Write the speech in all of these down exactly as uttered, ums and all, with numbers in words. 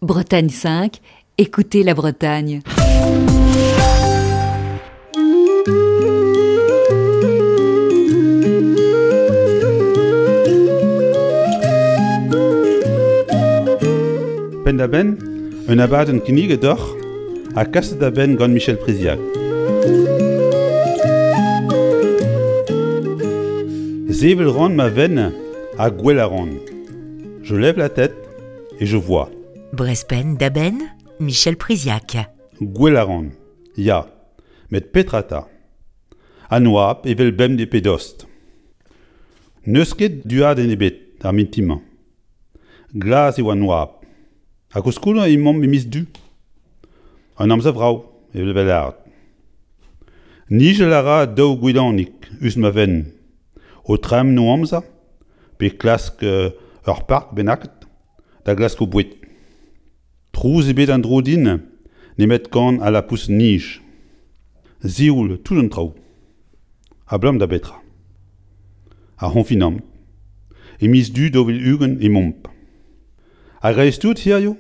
Bretagne cinq, écoutez la Bretagne. Penn-da-benn, un abadenn kinniget deoc'h ha kaset da benn gant Michel Priziac. Sevel 'ran ma fenn ha gwel a ran. Je lève la tête et je vois. Brest Penn-da-Benn, Michel Priziac. Gwel a ran, ya, met petra 'ta? An oabl evel bemdez pe dost. N'eus ket duadenn ebet ar mintin-mañ. Glas eo an oabl. Ha koulskoude emaomp e miz Du. An amzer vrav, evel 'vez lâret. Nijal a ra daou gouidanig us ma fenn, o tremen o amzer pe klask ur park bennaket da glask o boued. Trouz ebet en-dro din nemet kan al lapoused-nij. Sioul tout an traoù. Abalamour da betra ? Ar c'honfinamant. E miz Du daou vil ugent emaomp. A-greiz-tout hiziv,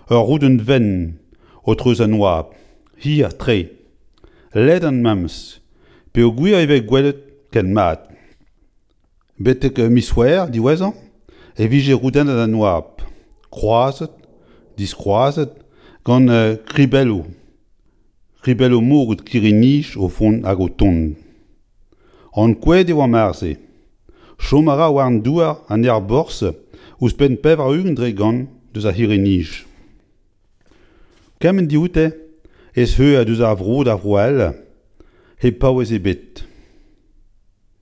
ur roudenn wenn o treuz an oabl, hir-tre, ledan memes, peogwir e vez gwelet ken mat. Betek miz C'hwevrer diwezhañ e vije roudennet an oabl, kroazet, diskroazet gant kribelloù, kribelloù moged kirri-nij o vont hag o tont. Ankouaet e oa marse. Chom a ra war an douar an aerborzh ouzhpenn pevar-ugent dre gant deus ar c'hirri-nij. Kement dioute ez eur deus ar vro d'ar vro all hep paouez ebet.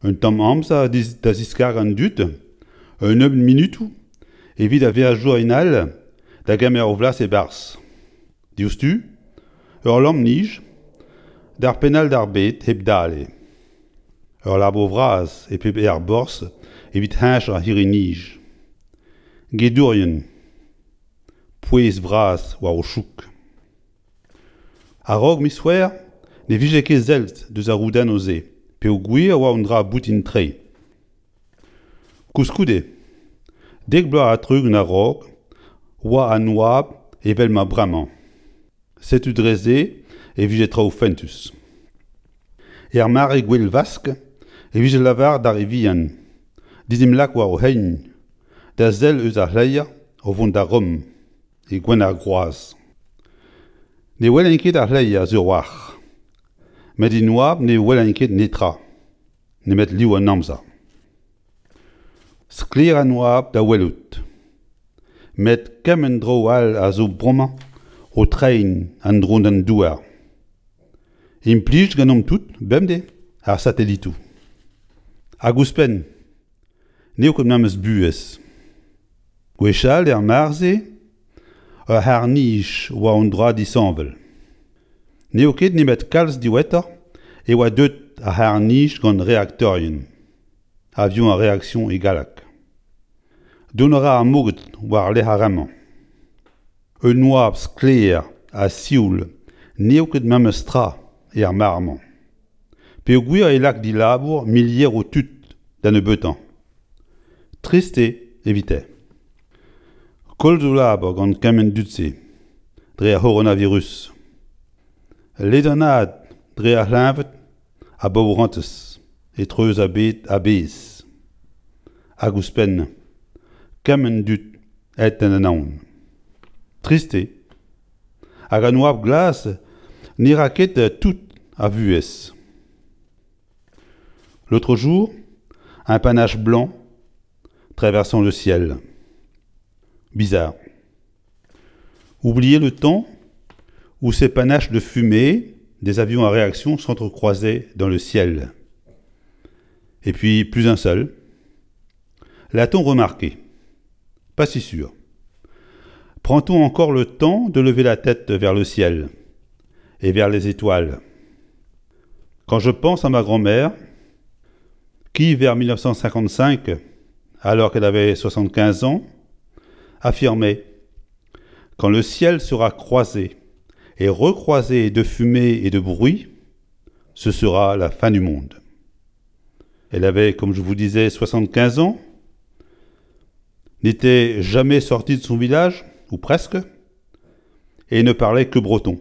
Un tamm amzer da ziskargañ an dud, un nebeud munutoù evit ar veajourien all da gemer o flas e-barzh. Diouzhtu, ur lamm-nij d'ar penn all d'ar bed hep dale. Ur labour vras e pep aerborzh evit heñchañ ar c'hirri-nij. Gedourien, pouez bras war o chouk. A-raok miz C'hwevrer ne vije ket sellet deus ar roudennoù-se peogwir e oa un dra boutin-tre. Koulskoude, dek bloaz ha tri-ugent a-raok oa an oabl evel ma bremañ. Setu dre-se e vije traoù fentus. Er mare Gouel Vask e vije lavaret d'ar re vihan d'en em lak war o c'hein da sell eus ar c'hleier o vont da Rom, e gwenn ar groaz. Ne welen ket ar c'hleier sur-walc'h, met en oabl ne welen ket netra, nemet liv an amzer. Sklaer an oabl da welout. Met kement dro all a zo bremañ o treiñ en-dro d'an douar. Implij ganeomp tout, bemdez, ar satelitoù. Hag ouzhpenn, n'eo ket memes buhez. Gwechall er mare-se, ur c'harr-nij oa un dra disheñvel. N'eo ket nemet kalz diwezhatoc'h e oa deuet ar c'harr-nij gant reaktorien, avion à réaction e galleg. Dont a ra ar moged war-lerc'h ar re-mañ. Un oabl sklaer ha sioul n'eo ket memes tra er mare-mañ. Peogwir e lak dilabour milieroù tud da nebeutañ. Trist eo evite. Koll zo labour gant kement dud-se, dre ar c'horonavirus. Ledanaat dre ar c'hleñved a baourentez e-treuz ar bed a-bezh. Hag ouzhpenn, kement dud aet d'an anaon. Trist eo. Hag an oabl glas ne ra ket tout a vuhez. L'autre jour, un panache blanc traversant le ciel. Bizarre. Oubliez le temps où ces panaches de fumée des avions à réaction s'entrecroisaient dans le ciel. Et puis, plus un seul. L'a-t-on remarqué ? Pas si sûr. Prend-on encore le temps de lever la tête vers le ciel et vers les étoiles ? Quand je pense à ma grand-mère, qui, vers mille neuf cent cinquante-cinq, alors qu'elle avait soixante-quinze ans, affirmait « Quand le ciel sera croisé et recroisé de fumée et de bruit, ce sera la fin du monde. » Elle avait, comme je vous disais, soixante-quinze ans, n'était jamais sortie de son village, ou presque, et ne parlait que breton.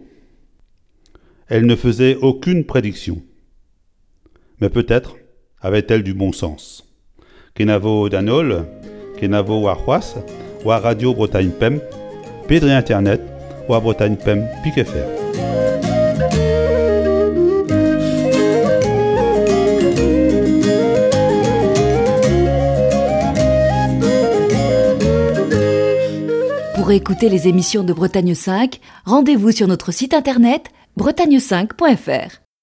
Elle ne faisait aucune prédiction. Mais peut-être avait-elle du bon sens. Kenavo d'an holl, kenavo warc'hoazh, war Radio Bretagne Pemp, pe dre internet, war Bretagne Pemp pik F R. Pour écouter les émissions de Bretagne cinq, rendez-vous sur notre site internet bretagne cinq point F R.